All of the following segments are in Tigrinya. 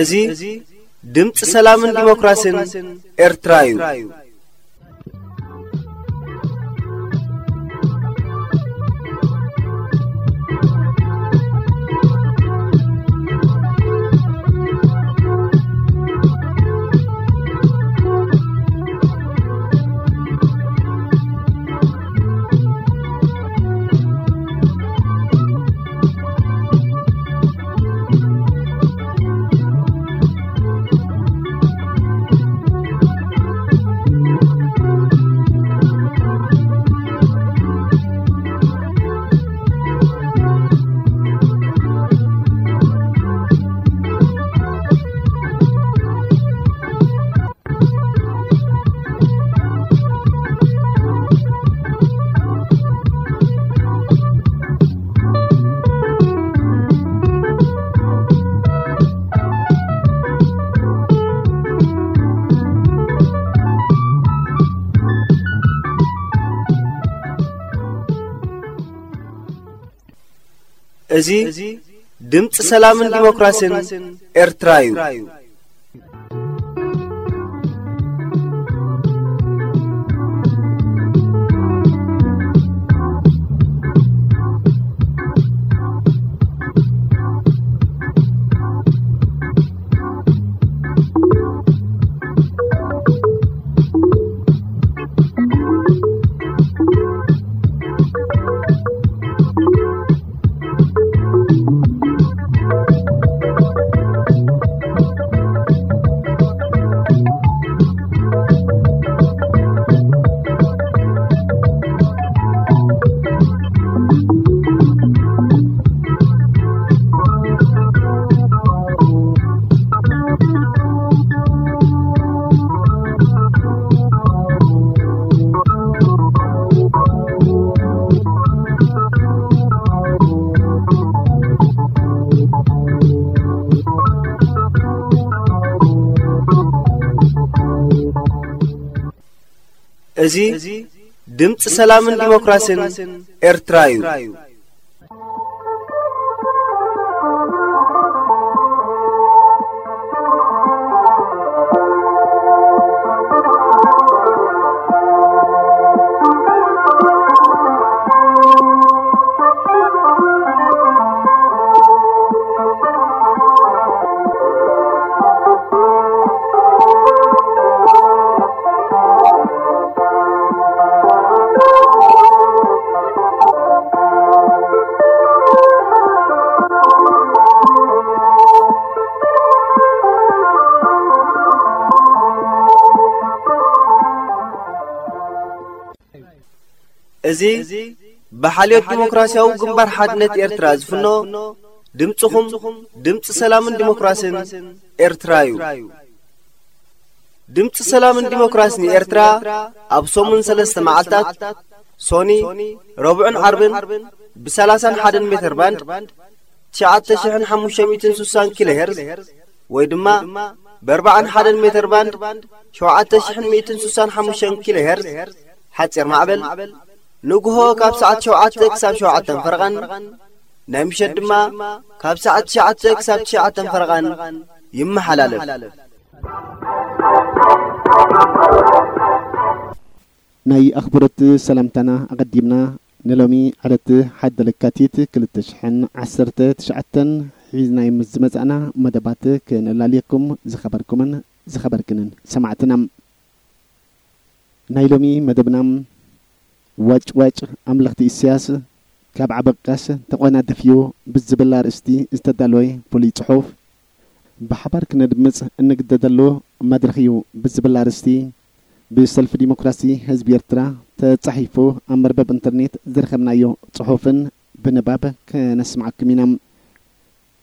እዚ ድምፂ ሰላምን ዲሞክራሲን ኤርትራ እዩ። እዚ ድምፂ ሰላምን ዲሞክራሲን ኤርትራ እዩ። እዚ ድምፂ ሰላምን ዲሞክራሲን ኤርትራ እዩ። እዚ ብሓልዮት ዲሞክራሲያዊ ግንባር ሓድነት ኤርትራ ዝፍኖ ድምፅኹም፣ ድምፂ ሰላምን ዲሞክራሲን ኤርትራ እዩ። ድምፂ ሰላምን ዲሞክራሲን ኤርትራ ኣብ ሰሙን ሰለስተ መዓልታት፣ ሶኒ፣ ረቡዕን ዓርብን፣ ብ30 ን ሓደ ን ሜተር ባንድ ትሽዓተ ሽሕን ሓሙሽተ ሚእትን ስሳን ኪሎ ሄርዝ፣ ወይ ድማ ብ ኣርባዓን ሓደን ሜተር ባንድ ሸውዓተ ሽሕን ሚእትን ስሳን ሓሙሽተን ኪሎ ሄርዝ ሓፂር ማዕበል፣ ንግሆ ካብ ሰዓት ሸውዓተ ክሳብ ሸውዓተ ፈረቓን፣ ናይ ምሸት ድማ ካብ ሰዓት ትሽዓተ ክሳብ ትሽዓተ ፈረቓን ይመሓላለፍ። ናይ ኣኽብሮት ሰላምታና ኣቐዲምና ንሎሚ ዕለት ሓደ ለካቲት ክልተ ሽሕን ዓሰርተ ትሽዓተን ሒዝናዮም ምስ ዝመጻእና መደባት ክነላልየኩም ዝኸበርኩምን ዝኸበርክንን ሰማዕትና። ናይ ሎሚ መደብና ዋጭ ዋጭ ኣምለኽቲ ኢሳያስ ካብ ዓበቃስ ተቖናደፍዩ ብዝብል ኣርእስቲ ዝተዳለወ ፍሉይ ጽሑፍ ብሓባር ክነድምጽ እንግደደሉ መድረኽ እዩ ብዝብል ኣርእስቲ ብሰልፊ ዲሞክራሲ ህዝቢ ኤርትራ ተጻሒፉ ኣብ መርበብ ኢንተርኔት ዝረኸብናዮ ጽሑፍን ብንባብ ከነስምዓኩም ኢና።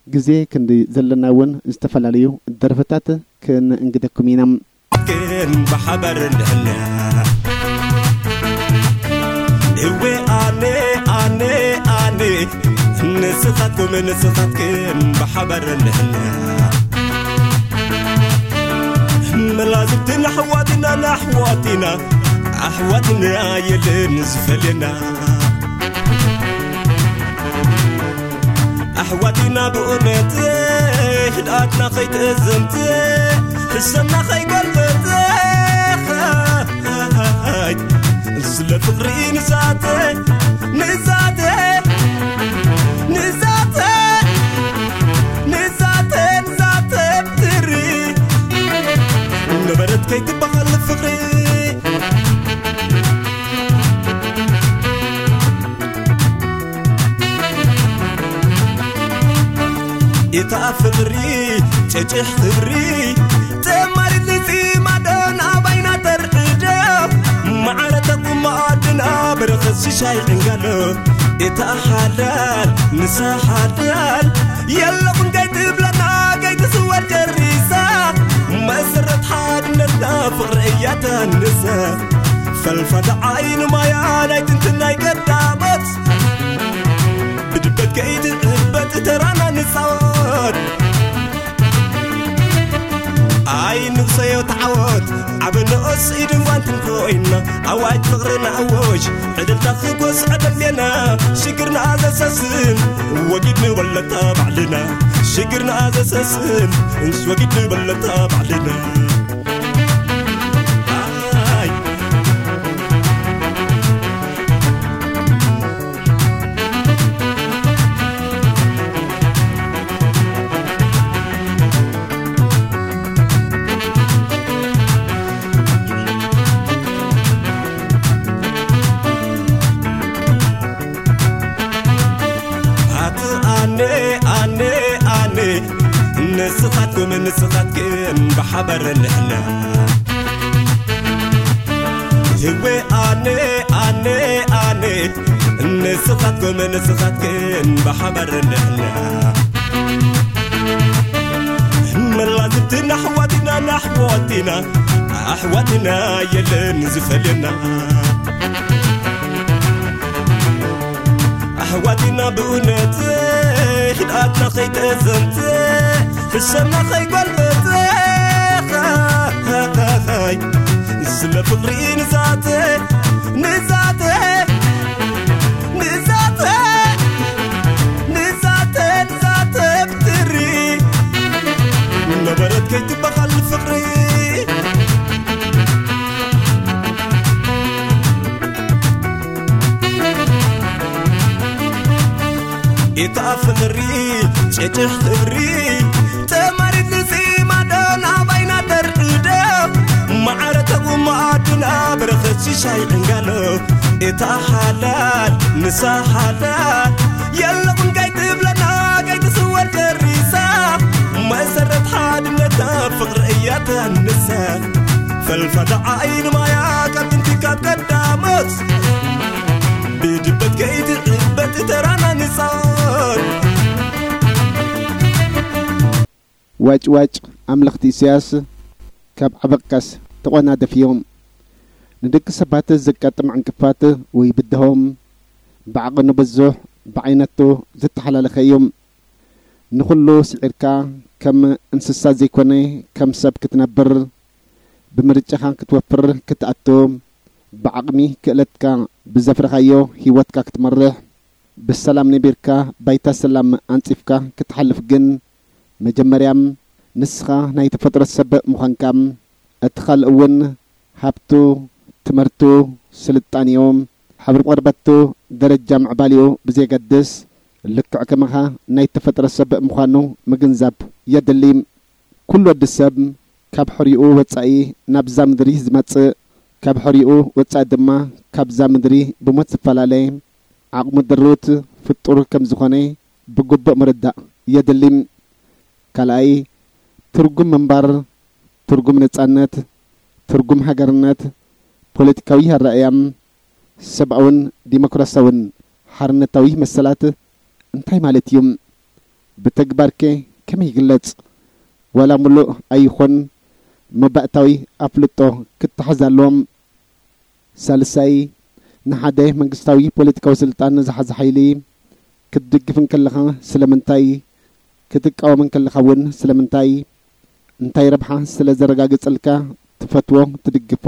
ግዜ ክንዲ ዘለና እውን ዝተፈላለዩ ደርፍታት ክንእንግደኩም ኢና። ግን ብሓባር ንሕና እወ ኣነ ኣነ ኣነ ንስኻትኩም ንስኻትክን ብሓባር ንሕና መላዝብትን ኣሕዋትና ንኣሕዋትና ኣሕዋትና የለን ዝፈልየና ኣሕዋትና ብእውነት ህድኣትና ከይትእዘምት ሕሰምና ከይገልበጥ ስለ ፍቕሪ ንዛተ ንዛተ ንዛተ ንዛተ ንዛተ ብትሪ ነበረት ከይትበሃል ፍቕሪ እታ ፍቕሪ ጨጭሕ ክብሪ ተማሪት ንፂማዶ ናባይና ተርዕዶ ማዕረ ተቁማ ኣድና በረኸት ሽሻይ ዕንጋሎ እታ ሓላል ንሳ ሓላል የለኹም ከይትብለና ከይትስወር ጨሪሳ መሰረት ሓድነትና ፍቕሪ እያ ተንሳ ፈልፋታ ዓይኒ ማያ ናይ ጥንትናይ ቀዳሞት ብድበት ከይትዕበጥ ተራና ንፃወት ኣይንቕሰዮ ተዓወት ዓበ ንኦስ ኢድን ጓንትን ኮይና ኣዋጅ ፍቕርና ኣወጅ ዕድልታ ክጎስ ዕደሌና ሽግርና ዘሰስን ወጊድ ንበለታ ባዕልና ሽግርና ዘሰስን እንስ ወጊድ ንበለታ ባዕልና ኣነ ኣነ ኣነ ንስኻትኩም ንስኻትክን ብሓባር ንሕና ህወ ኣነ ኣነ ኣነ ንስኻትኩም ንስኻትክን ብሓባር ንሕና መላዝብትና ኣሕዋትና ናሕዋትና ኣሕዋትና የለን ዝፈልየና ኣሕዋትና ብእውነት ህድኣትና ከይተዘምተ ሕሰምና ከይጓልበተ ስለ ፍቕሪ ንዛተ ንዛተ ንዛተ ንዛተ ንዛተ ብትሪ ነበረት ከይትበሃል ፍቕሪ እታ ፍቕሪ ጨጭሕ ክብሪ ተማሪት ንፂማዶ ናባይና ተርዕዶ ማዕረ ተቑማ ኣድና በረኸት ሽሻይ ዕንጋሎ እታ ሓላል ንሳ ሓላል የለኹም ከይትብለና ከይትስወር ጨሪሳ መሰረት ሓድነታ ፍቕሪ እያ ተንሳ ፈልፋታ ዓይኒ ማያ ካብ ጥንቲ ካብ ቀዳሞት ብድበት ከይትዕበጥ ተራና ንፃወት ዋጭ ዋጭ ኣምለኽቲ ኢሳያስ ካብ ዓበቃስ ተቖናደፍ እዮም። ንደቂ ሰባት ዘጋጥም ዕንቅፋት ወይ ብድሆም ብዓቕኑ ብዙሕ ብዓይነቱ ዝተሓላለኸ እዩ። ንኹሉ ስዒርካ ከም እንስሳ ዘይኮነ ከም ሰብ ክትነብር ብምርጫኻ ክትወፍር ክትኣቱ ብዓቕሚ ክእለትካ ብዘፍረኻዮ ህይወትካ ክትመርሕ ብሰላም ነቢርካ ባይታ ሰላም ኣንጺፍካ ክትሓልፍ ግን መጀመርያ ንስኻ ናይ ተፈጥሮ ሰብ ምዃንካ እቲ ካልእ እውን ሃብቱ ትምህርቱ ስልጣኔኡ ሕብሪ ቆርበቱ፣ ደረጃ ምዕባሊኡ ብዘየገድስ፣ ልክዕ ከማኻ ናይ ተፈጥሮ ሰብ ምዃኑ ምግንዛብ የድሊ። ኩሉ ወዲ ሰብ ካብ ሕሪኡ ወጻኢ ናብዛ ምድሪ ዝመጽእ፣ ካብ ሕሪኡ ወጻኢ ድማ ካብዛ ምድሪ ብሞት ዝፈላለ ዓቕሙ ድሩት ፍጡር ከም ዝኾነ ብግቡእ ምርዳእ የድሊ። ካልኣይ፣ ትርጉም ምንባር፣ ትርጉም ነጻነት፣ ትርጉም ሃገርነት፣ ፖለቲካዊ ኣረኣእያ፣ ሰብኣውን ዲሞክራሲያውን ሓርነታዊ መሰላት እንታይ ማለት እዩ? ብተግባርከ ከመይ ይግለጽ? ዋላ ምሉእ ኣይኹን፣ መባእታዊ ኣፍልጦ ክተሓዝ ኣለዎም። ሳልሳይ፣ ንሓደ መንግስታዊ ፖለቲካዊ ስልጣን ዝሓዘ ሓይሊ ክትድግፍ እንከለኻ ስለምንታይ? ክትቃወም እንከለኻ እውን ስለምንታይ? እንታይ ረብሓ ስለ ዘረጋግጸልካ ትፈትዎ ትድግፎ?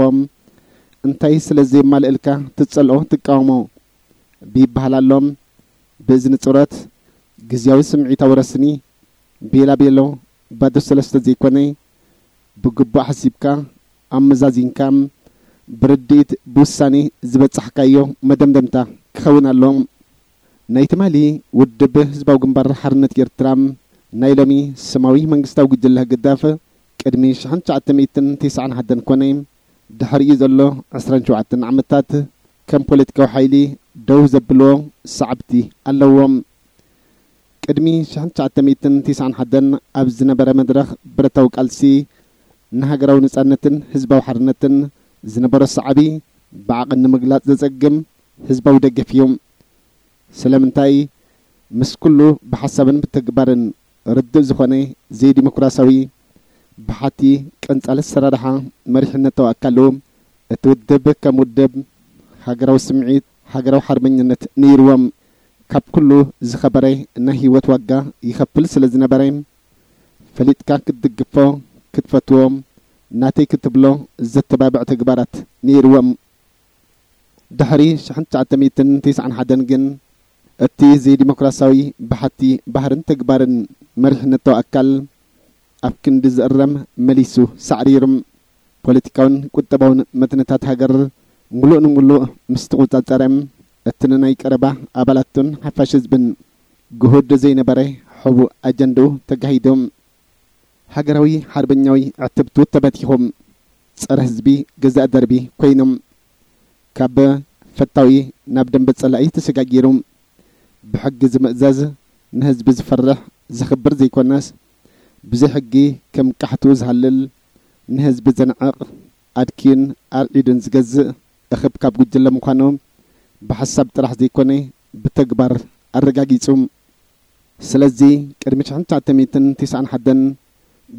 እንታይ ስለ ዘየማልእልካ ትጸልኦ ትቃወሞ? ቢበሃል ኣሎ። ብእዝኒ ጹረት፣ ግዝያዊ ስምዒታዊ ረስኒ፣ ቤላ ቤሎ፣ ባዶ ሰለስተ ዘይኮነ፣ ብግቡእ ሓሲብካ፣ ኣመዛዚንካ፣ ብርድኢት ብውሳኔ ዝበጻሕካዮ መደምደምታ ክኸውን ኣሎ። ናይ ትማሊ ውድብ ህዝባዊ ግንባር ሓርነት ኤርትራ፣ ናይ ሎሚ ስማዊ መንግስታዊ ጉጅለ ህግደፍ፣ ቅድሚ ሽሕን ትሽዓተ ሚእትን ተስዓን ሓደን ኮነ ድሕሪኡ ዘሎ ዕስራን ሸውዓተን ዓመታት ከም ፖለቲካዊ ሓይሊ ደው ዘብልዎ ሰዓብቲ ኣለዎም። ቅድሚ ሽሕን ትሽዓተ ሚእትን ተስዓን ሓደን ኣብ ዝነበረ መድረኽ ብረታዊ ቃልሲ ንሃገራዊ ነጻነትን ህዝባዊ ሓርነትን ዝነበሮ ሰዓቢ ብዓቕን ንምግላጽ ዘጸግም ህዝባዊ ደገፍ እዩ። ስለምንታይ? ምስ ኩሉ ብሓሳብን ብተግባርን ርዱእ ዝኾነ ዘይዲሞክራሲያዊ ብሓቲ ቀንጻል ኣሰራርሓ መሪሕነታዊ ኣካሉ እቲ ውድብ ከም ውድብ ሃገራዊ ስምዒት፣ ሃገራዊ ሓርበኝነት ነይርዎም። ካብ ኩሉ ዝኸበረ ናይ ህይወት ዋጋ ይኸፍል ስለ ዝነበረ፣ ፈሊጥካ ክትድግፎ፣ ክትፈትዎ፣ ናተይ ክትብሎ ዘተባብዕ ተግባራት ነይርዎም። ድሕሪ ሽሕን ትሽዓተ ሚእትን ተስዓን ሓደን ግን፣ እቲ ዘይዲሞክራሲያዊ ብሓቲ ባህርን ተግባርን መሪሕነታዊ ኣካል ኣብ ክንዲ ዝእረም መሊሱ ሳዕሪሩ። ፖለቲካውን ቁጠባውን መትንታት ሃገር ምሉእ ንምሉእ ምስ ተቖጻጸረ፣ እቲ ንናይ ቀረባ ኣባላቱን ሓፋሽ ህዝብን ግሁድ ዘይነበረ ሕቡእ ኣጀንድኡ ተጋሂዱ። ሃገራዊ ሓርበኛዊ ዕትብቱ ተበቲኹ፣ ጸረ ህዝቢ ገዛእ ደርቢ ኮይኑ፣ ካብ ፈታዊ ናብ ደንበ ጸላኢ ተሰጋጊሩ፣ ብሕጊ ዝምእዘዝ፣ ንህዝቢ ዝፈርሕ ዘኽብር ዘይኮነስ፣ ብዘይ ሕጊ ከም ቃሕቱ ዝሃልል፣ ንህዝቢ ዘንዕቕ፣ ኣድክዩን ኣርዒዱን ዝገዝእ እኽብካብ ጉጅለ ምዃኑ ብሓሳብ ጥራሕ ዘይኮነ ብተግባር ኣረጋጊጹ። ስለዚ ቅድሚ ሽሕን ትሽዓተ ሚእትን ተስዓን ሓደን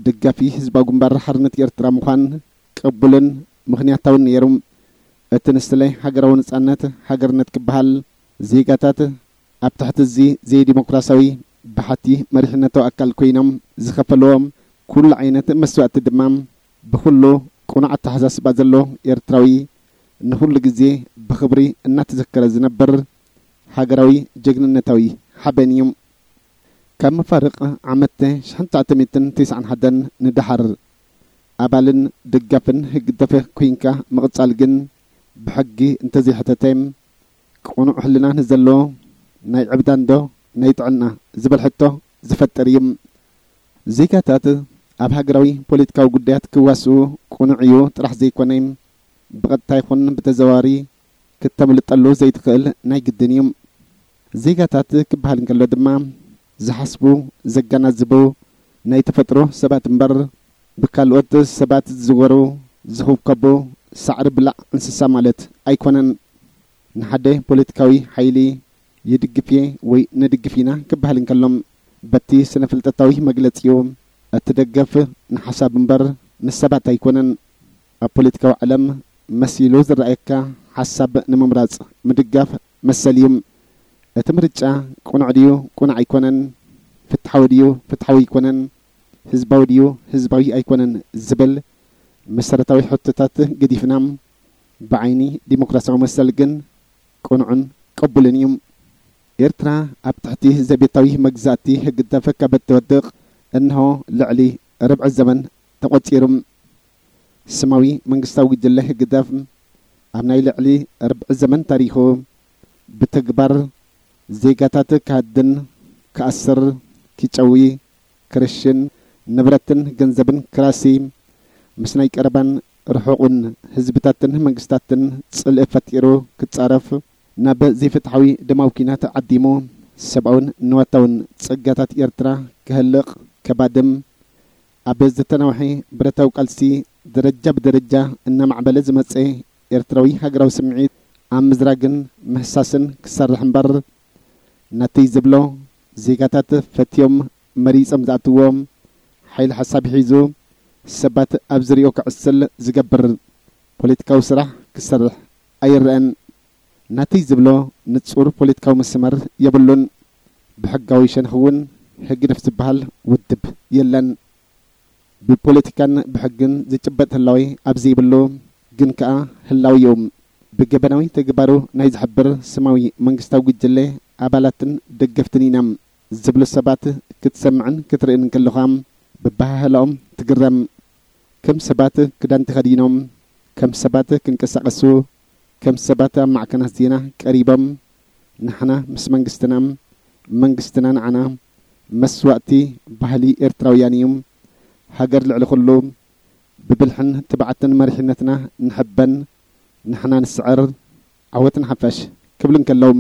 ደጋፊ ህዝባዊ ግንባር ሓርነት ኤርትራ ምዃን ቅቡልን ምኽንያታውን ነይሩ። እቲ ንስለ ሃገራዊ ነጻነት፣ ሃገርነት ክበሃል ዜጋታት ኣብ ትሕቲ እዚ ዘይዲሞክራሲያዊ ብሓቲ መሪሕነታዊ ኣካል ኮይኖም ዝኸፈልዎ ኩሉ ዓይነት መስዋእቲ ድማ ብኹሉ ቅኑዕ ኣተሓሳስባ ዘሎ ኤርትራዊ ንኹሉ ግዜ ብኽብሪ እናተዘከረ ዝነብር ሃገራዊ ጀግንነታዊ ሓበን እዩ። ካብ መፋርቕ ዓመት ሽሕን ትሽዓተ ሚእትን ተስዓን ሓደን ንደሓር ኣባልን ደጋፍን ህግደፍ ኮይንካ ምቕጻል ግን ብሕጊ እንተዘይሕተተ ቅኑዕ ሕልና ንዘለዎ ናይ ዕብዳንዶ ናይ ጥዕና ዝብል ሕቶ ዝፈጥር እዩ። ዜጋታት ኣብ ሃገራዊ ፖለቲካዊ ጉዳያት ክዋስኡ ቅኑዕ እዩ ጥራሕ ዘይኮነ፣ ብቐጥታ ይኹን ብተዘዋዋሪ ክተምልጠሉ ዘይትኽእል ናይ ግድን እዩ። ዜጋታት ክበሃል እንከሎ ድማ ዝሓስቡ፣ ዘገናዝቡ ናይ ተፈጥሮ ሰባት እምበር ብካልኦት ሰባት ዝዝወሩ፣ ዝኹብከቡ ሳዕሪ ብላዕ እንስሳ ማለት ኣይኮነን። ንሓደ ፖለቲካዊ ሓይሊ ይድግፍ እየ ወይ ንድግፍ ኢና ክበሃል እንከሎ፣ በቲ ስነ-ፍልጠታዊ መግለጺኡ፣ እቲ ደገፍ ንሓሳብ እምበር ንሰባት ኣይኮነን። ኣብ ፖለቲካዊ ዓለም መሲሉ ዝረኣየካ ሓሳብ ንምምራጽ ምድጋፍ መሰል እዩ። እቲ ምርጫ ቅኑዕ ድዩ ቅኑዕ ኣይኮነን፣ ፍትሓዊ ድዩ ፍትሓዊ ኣይኮነን፣ ህዝባዊ ድዩ ህዝባዊ ኣይኮነን ዝብል መሰረታዊ ሕቶታት ገዲፍና፣ ብዓይኒ ዲሞክራሲያዊ መሰል ግን ቅኑዕን ቅቡልን እዩ። ኤርትራ ኣብ ትሕቲ ዘቤታዊ መግዛእቲ ህግደፍ ካብ እትወድቕ እንሆ ልዕሊ ርብዒ ዘመን ተቖጺሩ። ስማዊ መንግስታዊ ጉጅለ ህግደፍ ኣብ ናይ ልዕሊ ርብዒ ዘመን ታሪኹ ብተግባር ዜጋታት ክሃድን፣ ክኣስር፣ ክጨዊ፣ ክርሽን፣ ንብረትን ገንዘብን ክራሲ፣ ምስ ናይ ቀረባን ርሑቕን ህዝብታትን መንግስታትን ጽልኢ ፈጢሩ ክጻረፍ፣ ናብ ዘይፍትሓዊ ደማዊ ኲናት ዓዲሙ፣ ሰብኣውን ንዋታውን ጸጋታት ኤርትራ ክህልቕ፣ ከባድም፣ ኣብ ዝተናውሐ ብረታዊ ቃልሲ ደረጃ ብደረጃ እናማዕበለ ዝመጸ ኤርትራዊ ሃገራዊ ስምዒት ኣብ ምዝራግን ምህሳስን ክሰርሕ እምበር፣ ናተይ ዝብሎ ዜጋታት ፈትዮም መሪጾም ዝኣትዎ ሓይሊ ሓሳብ ሒዙ ሰባት ኣብ ዝሪኦ ክዕስል ዝገብር ፖለቲካዊ ስራሕ ክሰርሕ ኣይረኣን። ናተይ ዝብሎ ንጹር ፖለቲካዊ መስመር የብሉን። ብሕጋዊ ሸነኽ እውን ህግደፍ ዝበሃል ውድብ የለን። ብፖለቲካን ብሕግን ዝጭበጥ ህላዌ ኣብ ዘይብሉ ግን ከኣ ህላዊ እዩ። ብገበናዊ ተግባሩ ናይ ዝሕብር ስማዊ መንግስታዊ ጉጅለ ኣባላትን ደገፍትን ኢና ዝብሉ ሰባት ክትሰምዕን ክትርእን እንከለኻ፣ ብባህላኦም ትግረም። ከም ሰባት ክዳን ተኸዲኖም፣ ከም ሰባት ክንቀሳቐሱ፣ ከም ሰባት ኣብ ማዕከናት ዜና ቀሪቦም፣ ንሕና ምስ መንግስትና፣ መንግስትና ንዓና፣ መስዋእቲ ባህሊ ኤርትራውያን እዩ፣ ሃገር ልዕሊ ኩሉ፣ ብብልሕን ትብዓትን መሪሕነትና ንሕበን፣ ንሕና ንስዕር፣ ዓወት ንሓፋሽ ክብሉ እንከለዉ፣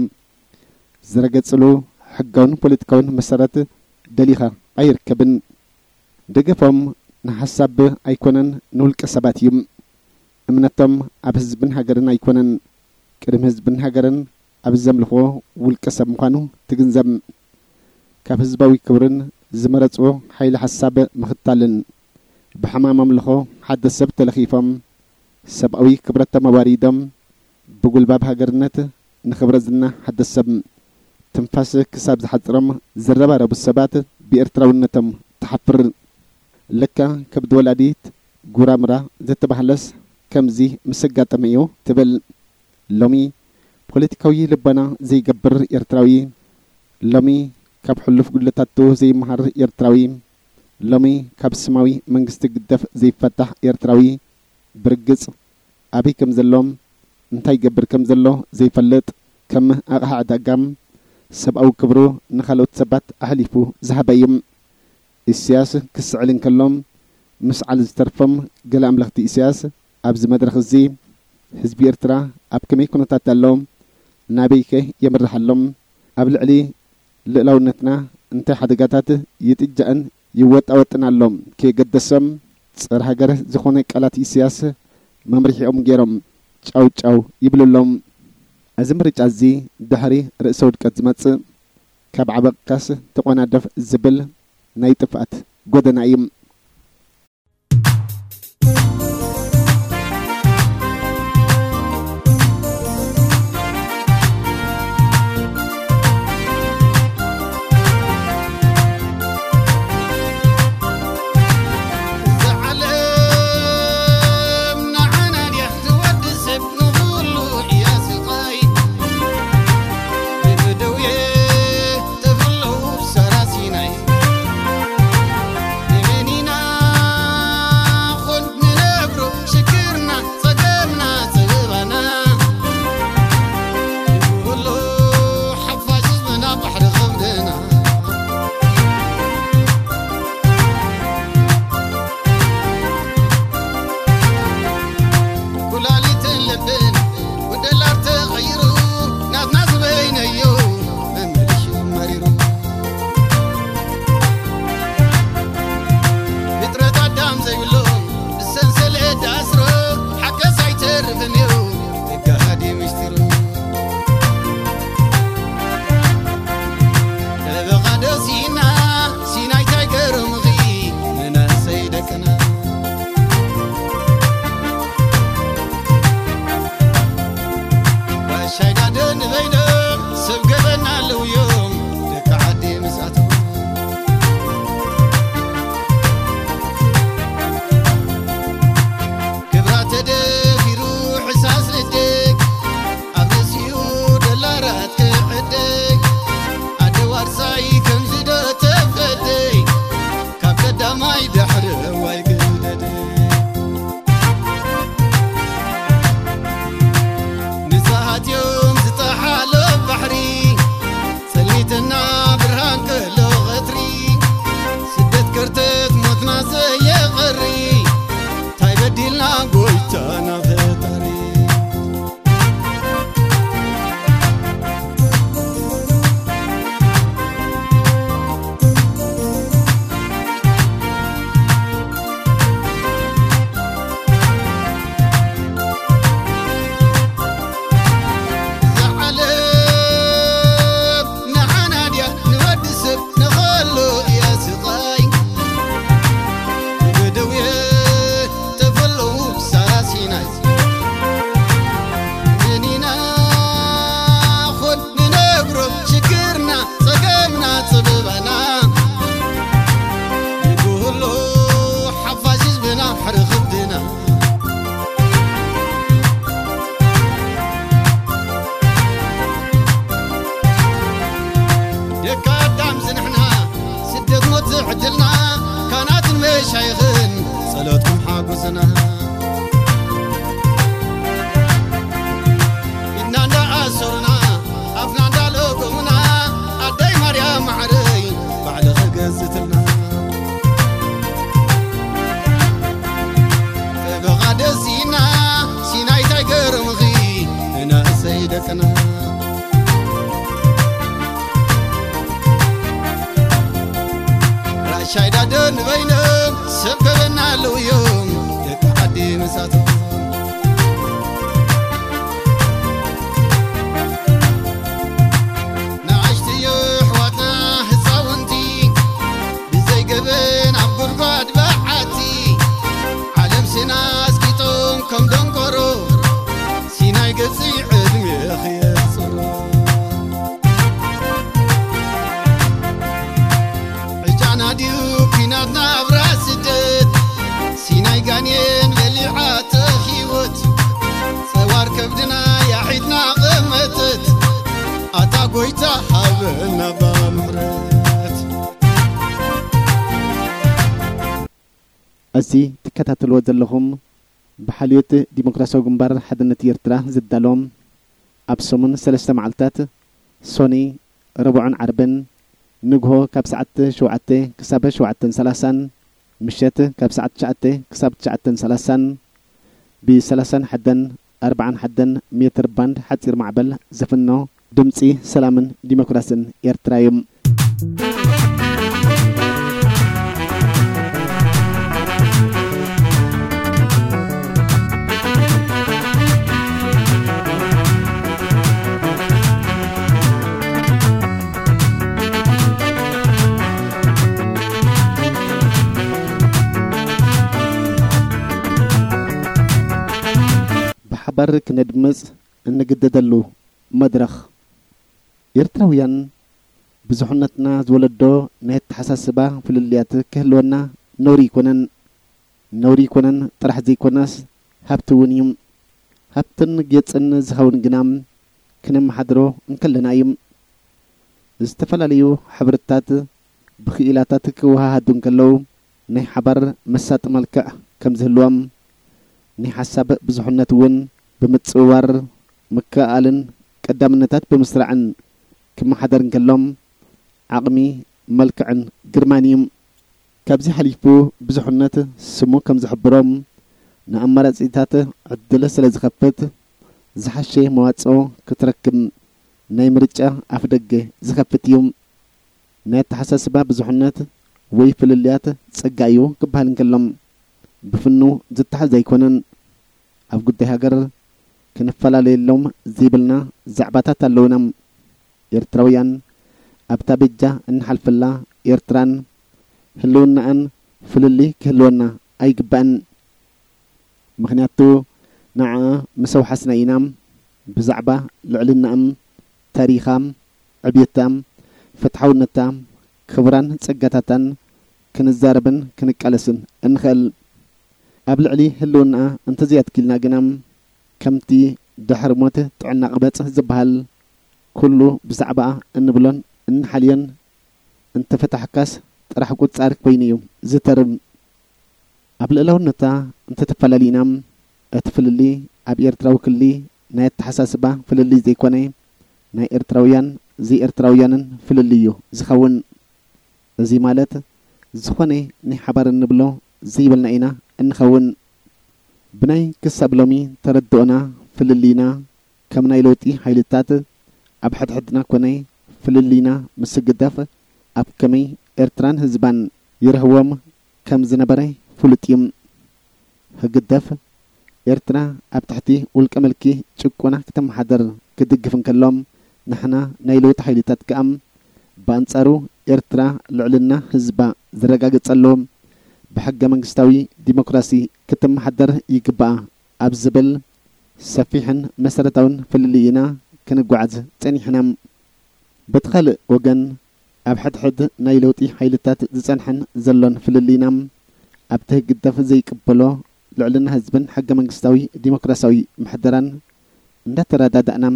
ዝረገጽሉ ሕጋውን ፖለቲካውን መሰረት ደሊኻ ኣይርከብን። ደገፎም ንሓሳብ ኣይኮነን፣ ንውልቀ ሰባት እዩ። እምነቶም ኣብ ህዝብን ሃገርን ኣይኮነን፣ ቅድሚ ህዝብን ሃገርን ኣብ ዘምልኽዎ ውልቀ ሰብ ምዃኑ ትግንዘብ። ካብ ህዝባዊ ክብርን ዝመረጽዎ ሓይሊ ሓሳብ ምኽታልን፣ ብሕማም ኣምልኾ ሓደ ሰብ ተለኺፎም፣ ሰብኣዊ ክብረቶም ኣዋሪዶም፣ ብጉልባብ ሃገርነት ንኽብረ ዝና ሓደ ሰብ ትንፋስ ክሳብ ዝሓጽሮም ዝረባረቡ ሰባት ብኤርትራውነቶም ትሓፍር። ለካ ከብዲ ወላዲት ጉራምራ ዘተባህለስ ከምዚ ምስ ኣጋጠመ እዩ ትብል። ሎሚ ፖለቲካዊ ልቦና ዘይገብር ኤርትራዊ፣ ሎሚ ካብ ሕሉፍ ጉድለታቱ ዘይመሃር ኤርትራዊ፣ ሎሚ ካብ ስማዊ መንግስቲ ግደፍ ዘይፈታሕ ኤርትራዊ፣ ብርግጽ ኣበይ ከም ዘሎ፣ እንታይ ይገብር ከም ዘሎ ዘይፈልጥ፣ ከም ኣቕሓ ዕዳጋ ሰብኣዊ ክብሩ ንኻልኦት ሰባት ኣሕሊፉ ዝሃበ እዩ። ኢሳያስ ክስዕል እንከሎ፣ ምስዓል ዝተርፎም ገለ ኣምለኽቲ ኢሳያስ ኣብዚ መድረኽ እዚ፣ ህዝቢ ኤርትራ ኣብ ከመይ ኩነታት ኣሎ? ናበይከ የምርሕ ኣሎ? ኣብ ልዕሊ ልእላውነትና እንታይ ሓደጋታት ይጥጃእን ይወጣወጥን ኣሎ? ከየገደሶም፣ ጸረ ሃገር ዝኾነ ቃላት ኢሳያስ መምርሒኦም ገይሮም ጫው ጫው ይብሉ ኣለዉ። እዚ ምርጫ እዚ ድሕሪ ርእሰ ውድቀት ዝመጽእ፣ ካብ ዓበቕካስ ተቖናደፍ ዝብል ናይ ጥፍኣት ጎደና እዩ። እዛ ዓለም ንዓና ድያ ትወዲ ሰብ ንኹሉ እያ ስቓይ። ብደውየ ተብለው ሳራ ሲናይ። ንመን ኢና ቻይዳ ዶ ንበይኖም ሰብ ገበና ኣለውዮም ደቂ ዓዲ ምሳቶም። ንኣሽትዮ ኣሕዋትና ህፃውንቲ ብዘይ ገበን ኣብ ጉድጓድ በዓቲ ዓለም ስና ኣስቂጦም ከም ደንቆሮ ሲናይ ገፂ ዕድሜ ክየፅሮ። ዕጫና ድዩ ኲናት ናብራ ስደት ሲናይ ጋኔን በሊዓቶ ህይወት ጸዋር ከብድና ያሒድና ቐመተት ኣታ ጎይታ ሃበና ባምሕረት። እዚ ትከታተልዎ ዘለኹም ብሓልዮት ዲሞክራሲያዊ ግንባር ሓድነት ኤርትራ ዝዳሎ ኣብ ሰሙን ሰለስተ መዓልታት ሶኒ፣ ረቡዕን ዓርብን ንግሆ ካብ ሰዓት ሸውዓተ ክሳብ ሸውዓተን ሰላሳን ምሸት ካብ ሰዓት ትሽዓተ ክሳብ ትሽዓተን ሰላሳን ብ ሰላሳን ሓደን ኣርባዓን ሓደን ሜትር ባንድ ሓጺር ማዕበል ዝፍኖ ድምጺ ሰላምን ዲሞክራስን ኤርትራ እዩ። ብሓባር ክነድምጽ እንግደደሉ መድረኽ። ኤርትራውያን ብዙሕነትና ዝወለዶ ናይ ኣተሓሳስባ ፍልልያት ክህልወና ነውሪ ኣይኮነን። ነውሪ ኣይኮነን ጥራሕ ዘይኮነስ ሃብቲ እውን እዩ። ሃብትን ጌጽን ዝኸውን ግና ክነመሓድሮ እንከለና እዩ። ዝተፈላለዩ ሕብርታት ብክኢላታት ክወሃሃዱ እንከለዉ ናይ ሓባር መሳጢ መልክዕ ከም ዝህልዎም ናይ ሓሳብ ብዙሕነት እውን ብምጽውዋር ምክእኣልን ቀዳምነታት ብምስራዕን ክመሓደር እንከሎም ዓቕሚ መልክዕን ግርማን እዩ። ካብዚ ሓሊፉ ብዙሕነት ስሙ ከም ዝሕብሮ ንኣማራጺታት ዕድል ስለ ዝኸፍት ዝሓሸ መዋጽኦ ክትረክብ ናይ ምርጫ ኣፍደገ ዝኸፍት እዩ። ናይ ኣተሓሳስባ ብዙሕነት ወይ ፍልልያት ጸጋ እዩ ክበሃል እንከሎ ብፍኑ ዝተሓዝ ኣይኮነን። ኣብ ጉዳይ ሃገር ክንፈላለየሎም ዘይብልና ዛዕባታት ኣለውና። ኤርትራውያን ኣብታ በጃ እንሓልፈላ ኤርትራን ህልውናኣን ፍልልይ ክህልወና ኣይግባእን። ምኽንያቱ ንዓኣ ምስ ኣውሓስና ኢና ብዛዕባ ልዕልናኣም፣ ታሪኻም፣ ዕብየታም፣ ፍትሓውነታ፣ ክብራን ጸጋታታን ክንዛረብን ክንቃለስን እንኽእል። ኣብ ልዕሊ ህልውናኣ እንተዘይኣትኪልና ግና ከምቲ ድሕሪ ሞት ጥዕና ቅበጽ ዝበሃል ኩሉ ብዛዕባኣ እንብሎን እንሓልዮን እንተፈታሕካስ ጥራሕ ቁጻር ኮይኑ እዩ ዝተርም። ኣብ ልእላውነታ እንተተፈላሊና እቲ ፍልሊ ኣብ ኤርትራዊ ክሊ ናይ ኣተሓሳስባ ፍልሊ ዘይኮነ ናይ ኤርትራውያን ዘይኤርትራውያንን ፍልሊ እዩ ዝኸውን። እዚ ማለት ዝኾነ ናይ ሓባር እንብሎ ዘይብልና ኢና እንኸውን። ብናይ ክሳብ ሎሚ ተረድኦና ፍልልይና ከም ናይ ለውጢ ሓይልታት ኣብ ሕድሕድና ኮነ ፍልልይና ምስ ህግደፍ ኣብ ከመይ ኤርትራን ህዝባን ይርህዎም ከም ዝነበረ ፍሉጥ እዩ። ህግደፍ ኤርትራ ኣብ ትሕቲ ውልቀ ምልኪ ጭቆና ክትመሓደር ክድግፍ እንከሎ ንሕና ናይ ለውጢ ሓይልታት ከኣ ብኣንጻሩ ኤርትራ ልዕልና ህዝባ ዝረጋገጸሉ ብሕገ መንግስታዊ ዲሞክራሲ ክትመሓደር ይግባኣ ኣብ ዝብል ሰፊሕን መሰረታውን ፍልልይ ኢና ክንጓዓዝ ጸኒሕና። በቲ ካልእ ወገን ኣብ ሕድሕድ ናይ ለውጢ ሓይልታት ዝጸንሐን ዘሎን ፍልልይና ኣብቲ ህግደፍ ዘይቅበሎ ልዕልና ህዝብን ሕገ መንግስታዊ ዲሞክራሲያዊ ምሕደራን እንዳተረዳዳእና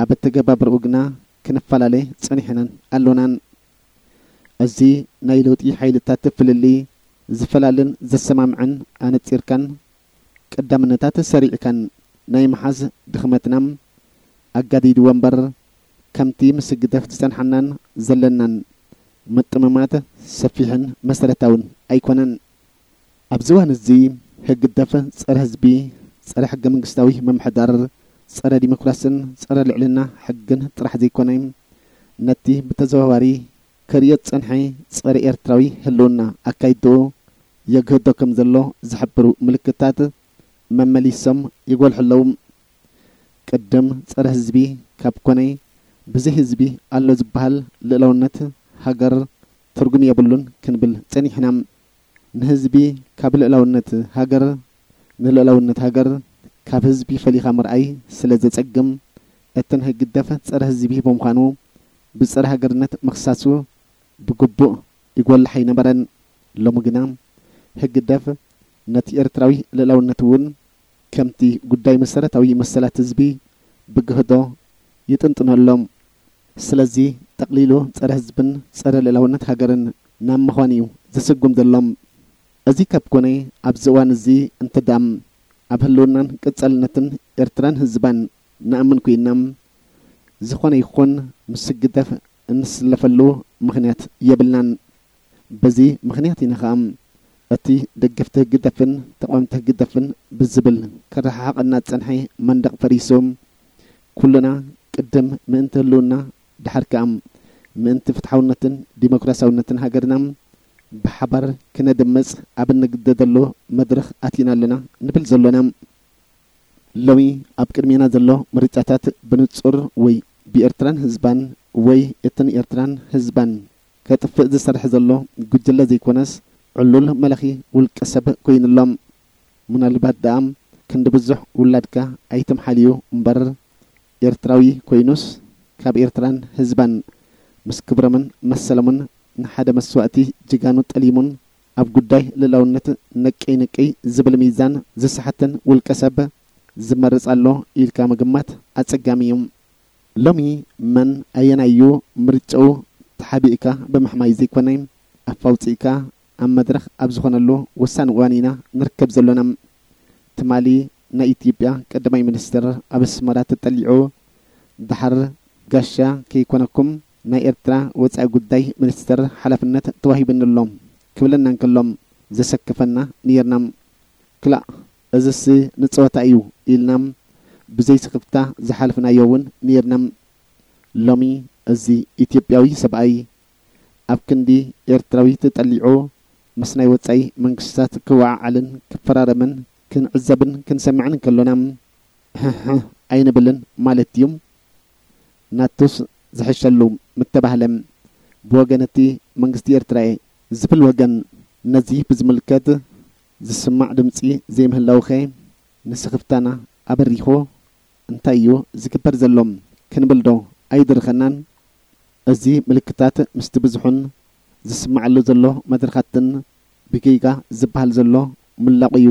ኣብ ኣተገባብርኡ ግና ክንፈላለ ጸኒሕናን ኣሎናን። እዚ ናይ ለውጢ ሓይልታት ፍልልይ ዝፈላልን ዘሰማምዕን ኣነጺርካን ቀዳምነታት ሰሪዕካን ናይ ምሓዝ ድኽመትና ኣጋዲድዎ እምበር ከምቲ ምስ ህግደፍ ዝጸንሓናን ዘለናን ምጥምማት ሰፊሕን መሰረታውን ኣይኮነን። ኣብዚ እዋን እዚ ህግደፍ ጸረ ህዝቢ፣ ጸረ ሕገ መንግስታዊ ምምሕዳር፣ ጸረ ዲሞክራስን ጸረ ልዕልና ሕግን ጥራሕ ዘይኮነ ነቲ ብተዘዋዋሪ ከርእዮ ዝጸንሐ ጸረ ኤርትራዊ ህልውና ኣካይድኡ የግህዶ ከም ዘሎ ዝሕብሩ ምልክታት መመሊሶም ይጎልሑ ኣለዉ። ቅድም ጸረ ህዝቢ ካብ ኮነ፣ ብዘይ ህዝቢ ኣሎ ዝበሃል ልእላውነት ሃገር ትርጉም የብሉን ክንብል ጸኒሕና። ንህዝቢ ካብ ልእላውነት ሃገር፣ ንልእላውነት ሃገር ካብ ህዝቢ ፈሊኻ ምርኣይ ስለ ዘጸግም፣ እቲ ናይ ህግደፍ ጸረ ህዝቢ ብምዃኑ ብጸረ ሃገርነት ምኽሳሱ ብግቡእ ይጎልሕ ኣይነበረን። ሎሚ ግና ህግደፍ ነቲ ኤርትራዊ ልእላውነት እውን ከምቲ ጉዳይ መሰረታዊ መሰላት ህዝቢ ብግህዶ ይጥንጥኖ ኣሎ። ስለዚ ጠቕሊሉ ጸረ ህዝብን ጸረ ልእላውነት ሃገርን ናብ ምዃን እዩ ዝስጉም ዘሎ። እዚ ካብ ኮነ ኣብዚ እዋን እዚ እንተ ደኣ ኣብ ህልውናን ቀጻልነትን ኤርትራን ህዝባን ንኣምን ኮይና፣ ዝኾነ ይኹን ምስ ህግደፍ እንስለፈሉ ምኽንያት የብልናን። በዚ ምኽንያት ኢና ኸኣ እቲ ደገፍቲ ህግደፍን ተቓወምቲ ህግደፍን ብዝብል ክረሓሓቐና ዝጸንሐ መንደቕ ፈሪሱ፣ ኩልና ቅድም ምእንቲ ህልውና፣ ደሓር ከኣ ምእንቲ ፍትሓውነትን ዲሞክራሲያውነትን ሃገርና ብሓባር ክነድምጽ ኣብ እንግደደሉ መድረኽ ኣቲና ኣለና ንብል ዘሎና። ሎሚ ኣብ ቅድሜና ዘሎ ምርጫታት ብንጹር ወይ ብኤርትራን ህዝባን ወይ እተን ኤርትራን ህዝባን ከጥፍእ ዝሰርሕ ዘሎ ጉጅለ ዘይኮነስ፣ ዕሉል መላኺ ውልቀ ሰብ ኮይኑ ኣሎ። ምናልባት ደኣ ክንዲ ብዙሕ ውላድካ ኣይትምሓልዩ እምበር፣ ኤርትራዊ ኮይኑስ ካብ ኤርትራን ህዝባን ምስ ክብሮምን መሰሎምን ንሓደ መስዋእቲ ጅጋኑ ጠሊሙን ኣብ ጉዳይ ልእላውነት ነቀይ ነቀይ ዝብል ሚዛን ዝሰሓተን ውልቀ ሰብ ዝመርጽ ኣሎ ኢልካ ምግማት ኣጸጋሚ እዩ። ሎሚ መን ኣየናዩ ምርጫኡ ተሓቢእካ ብምሕማይ ዘይኮነ፣ ኣፍ ኣውጺእካ ኣብ መድረኽ ኣብ ዝኾነሉ ወሳኒ እዋን ኢና ንርከብ ዘሎና። ትማሊ ናይ ኢትዮጵያ ቀዳማይ ሚኒስትር ኣብ ኣስመራ ተጠሊዑ፣ ደሓር ጋሻ ከይኮነኩም ናይ ኤርትራ ወጻኢ ጉዳይ ሚኒስትር ሓላፍነት ተዋሂብኒ ኣሎ ክብለና እንከሎ ዘሰከፈና ነይርና። ክላእ እዝስ ንጸወታ እዩ ኢልና ብዘይ ስኽፍታ ዝሓለፍናዮ እውን ነይርና። ሎሚ እዚ ኢትዮጵያዊ ሰብኣይ ኣብ ክንዲ ኤርትራዊ ተጠሊዑ ምስ ናይ ወጻኢ መንግስታት ክወዓዓልን ክፈራረምን ክንዕዘብን ክንሰምዕን እንከሎና፣ ህህ ኣይንብልን ማለት ድዩ? ናቱስ ዝሕሸሉ ምተባህለ። ብወገን እቲ መንግስቲ ኤርትራ እየ ዝብል ወገን ነዚ ብዝምልከት ዝስማዕ ድምጺ ዘይምህላውኸ ንስኽፍታና ኣበሪኹ እንታይ እዩ ዝግበር ዘሎ ክንብል ዶ ኣይድርኸናን? እዚ ምልክታት ምስቲ ብዙሑን ዝስማዓሉ ዘሎ መድረኻትን ብጌጋ ዝበሃል ዘሎ ምላቑ እዩ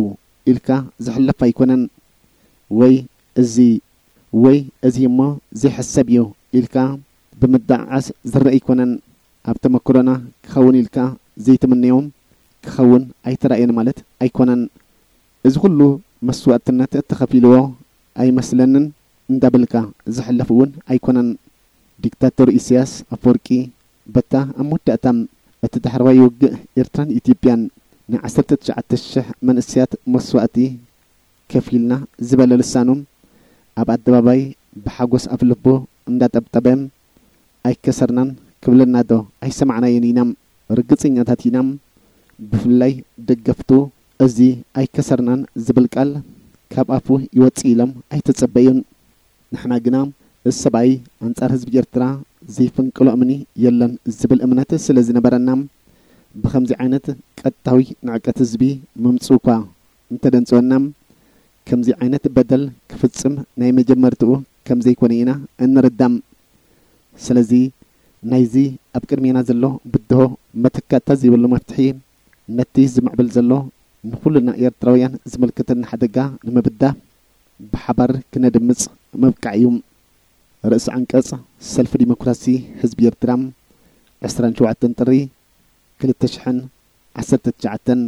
ኢልካ ዝሕለፍ ኣይኮነን። ወይ እዚ ወይ እዚ እሞ ዘይሕሰብ እዩ ኢልካ ብምድዓዓስ ዝረአ ኣይኮነን። ኣብ ተመክሮና ክኸውን ኢልካ ዘይትምነዮም ክኸውን ኣይተራእየን ማለት ኣይኮነን። እዚ ኩሉ መስዋእትነት እተኸፊልዎ ኣይመስለንን እንዳበልካ ዝሕለፍ እውን ኣይኮነን። ዲክታቶር ኢሳያስ ኣፈወርቂ በታ ኣብ መወዳእታ እቲ ዳሕረዋይ ውግእ ኤርትራን ኢትዮጵያን ንዓሰርተ ትሽዓተ ሽሕ መንእሰያት መስዋእቲ ከፊልና ዝበለ ልሳኑ ኣብ ኣደባባይ ብሓጎስ ኣፍልቡ እንዳጠብጠበ ኣይከሰርናን ክብለና ዶ ኣይሰማዕናዮን ኢና? ርግጸኛታት ኢና። ብፍላይ ደገፍቱ እዚ ኣይከሰርናን ዝብል ቃል ካብ ኣፉ ይወጽእ ኢሎም ኣይተጸበዩን። ንሕና ግና እዚ ሰብኣይ ኣንጻር ህዝቢ ኤርትራ ዘይፍንቅሎ እምኒ የለን ዝብል እምነት ስለ ዝነበረና፣ ብኸምዚ ዓይነት ቀጥታዊ ንዕቀት ህዝቢ ምምጽኡ እኳ እንተደንጽወና፣ ከምዚ ዓይነት በደል ክፍጽም ናይ መጀመርትኡ ከም ዘይኮነ ኢና እንርዳእ። ስለዚ ናይዚ ኣብ ቅድሜና ዘሎ ብድሆ መተካእታ ዘይብሉ መፍትሒ፣ ነቲ ዝምዕብል ዘሎ ንኹልና ኤርትራውያን ዝምልከተና ሓደጋ ንምብዳህ ብሓባር ክነድምጽ ምብቃዕ እዩ። ርእሲ ዓንቀጽ፣ ሰልፊ ዲሞክራሲ ህዝቢ ኤርትራ፣ ዕስራን ሸውዓተን ጥሪ ክልተ ሽሕን ዓሰርተ ትሽዓተን።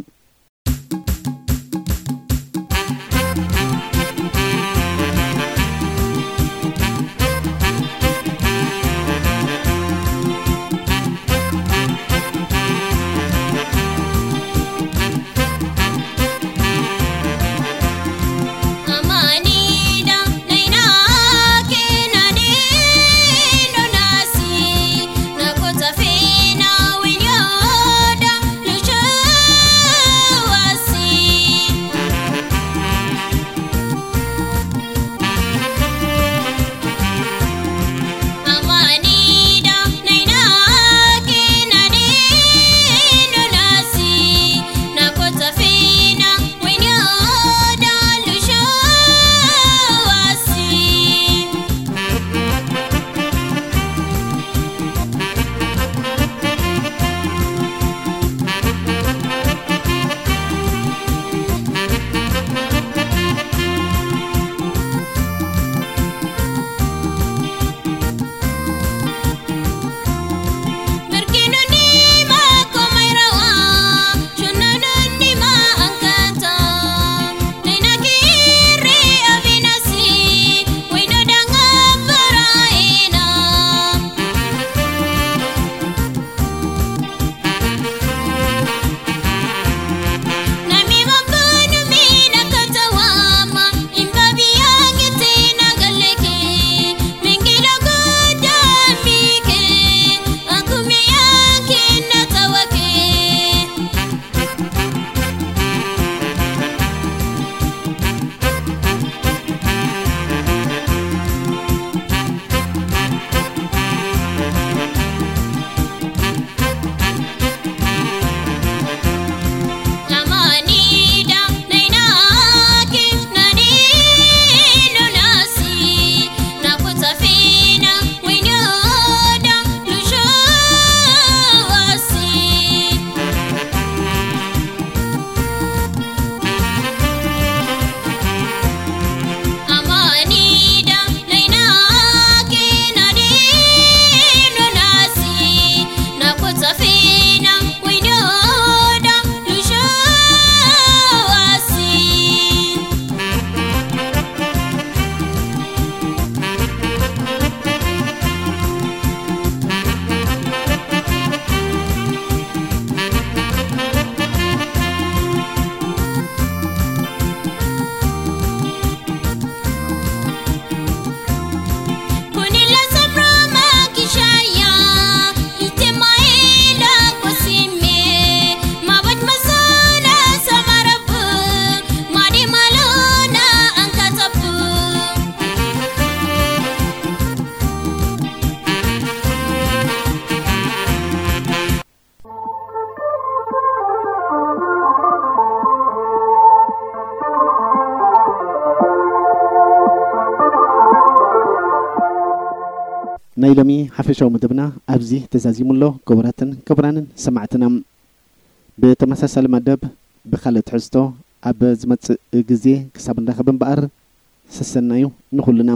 ናይ ሎሚ ሓፈሻዊ መደብና ኣብዚ ተዛዚሙ ኣሎ። ክቡራትን ክቡራንን ሰማዕትና፣ ብተመሳሳሊ መደብ ብኻልእ ትሕዝቶ ኣብ ዝመጽእ ግዜ ክሳብ ንራኸብ እምበኣር፣ ሰሰናዩ ንኹልና።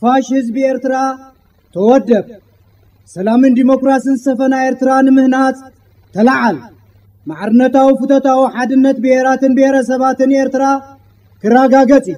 ሓፋሽ ህዝቢ ኤርትራ፣ ተወደብ። ሰላምን ዲሞክራስን ዝሰፈና ኤርትራ ንምህናጽ ተለዓል። ማዕርነታዊ ፍቶታዊ ሓድነት ብሄራትን ብሄረሰባትን ኤርትራ ክረጋገጽ እዩ።